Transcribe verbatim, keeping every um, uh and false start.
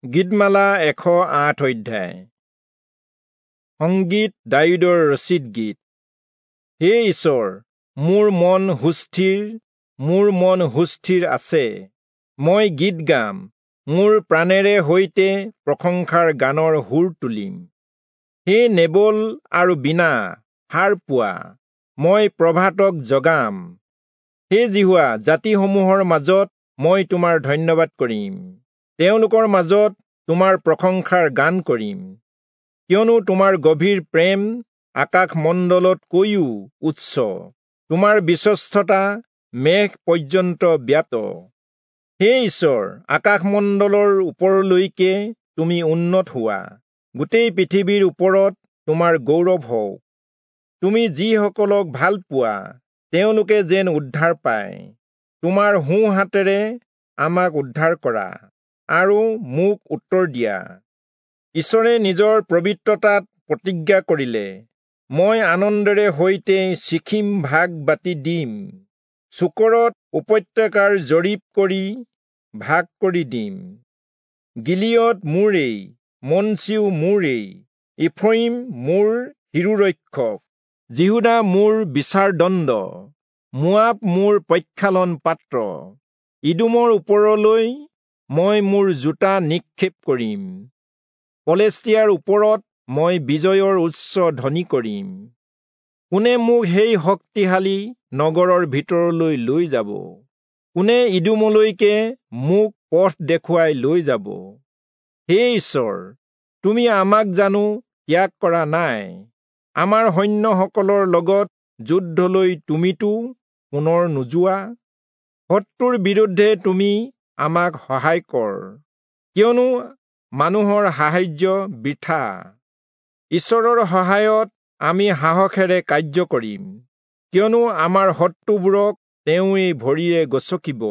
গীতমালা এশ আঠ অধ্যায়। সংগীত দায়ূদৰ ৰচিত গীত। হে ঈশ্বৰ, মোৰ মন সুস্থিৰ, মোৰ মন সুস্থিৰ আছে। মই গীত গাম, মোৰ প্ৰাণেৰে সৈতে প্ৰশংসাৰ গানৰ সুৰ তুলিম। হে নেবল আৰু বীণা, সাৰ পোৱা, মই প্ৰভাতক জগাম। হে যিহোৱা, জাতিসমূহৰ মাজত মই তোমাৰ ধন্যবাদ কৰিম, তেওঁলোকৰ মাজত তোমাৰ প্ৰশংসাৰ গান কৰিম। কিয়নো তোমাৰ গভীৰ প্ৰেম আকাশমণ্ডলতকৈও উচ্চ, তোমাৰ বিশ্বস্ততা মেঘ পৰ্যন্ত ব্যাপ্ত। হে ঈশ্বৰ, আকাশমণ্ডলৰ ওপৰলৈকে তুমি উন্নত হোৱা, গোটেই পৃথিৱীৰ ওপৰত তোমাৰ গৌৰৱ হওক। তুমি যিসকলক ভাল পোৱা তেওঁলোকে যেন উদ্ধাৰ পায়। তোমাৰ সোঁ হাতেৰে আমাক উদ্ধাৰ কৰা আৰু মোক উত্তৰ দিয়া। ঈশ্বৰে নিজৰ পবিত্ৰতাত প্ৰতিজ্ঞা কৰিলে, মই আনন্দেৰে সৈতে চিখিম ভাগ বাটি দিম, চুকৰত উপত্যকাৰ জৰীপ কৰি ভাগ কৰি দিম। গিলিয়দ মোৰেই, মনচিও মোৰেই, ইফ্ৰয়িম মোৰ শিৰোৰক্ষক, যিহূদা মোৰ বিচাৰদণ্ড, মোৱাব মোৰ প্ৰক্ষালন পাত্ৰ। ইদোমৰ ওপৰলৈ মই মোৰ জোতা নিক্ষেপ কৰিম, পলেষ্টিয়াৰ ওপৰত মই বিজয়ৰ উচ্চ ধ্বনি কৰিম। কোনে মোক সেই শক্তিশালী নগৰৰ ভিতৰলৈ লৈ যাব? কোনে ইদোমলৈকে মোক পথ দেখুৱাই লৈ যাব? হে ঈশ্বৰ, তুমি আমাক জানো ত্যাগ কৰা নাই? আমাৰ সৈন্যসকলৰ লগত যুদ্ধলৈ তুমিতো পুনৰ নোযোৱা? শত্ৰুৰ বিৰুদ্ধে তুমি আমাক সহায় কৰ, কিয়নো মানুহৰ সাহায্য বৃথা। ঈশ্বৰৰ সহায়ত আমি সাহসেৰে কাৰ্য কৰিম, কিয়নো আমাৰ শত্ৰুবোৰক তেওঁৱেই ভৰিৰে গচকিব।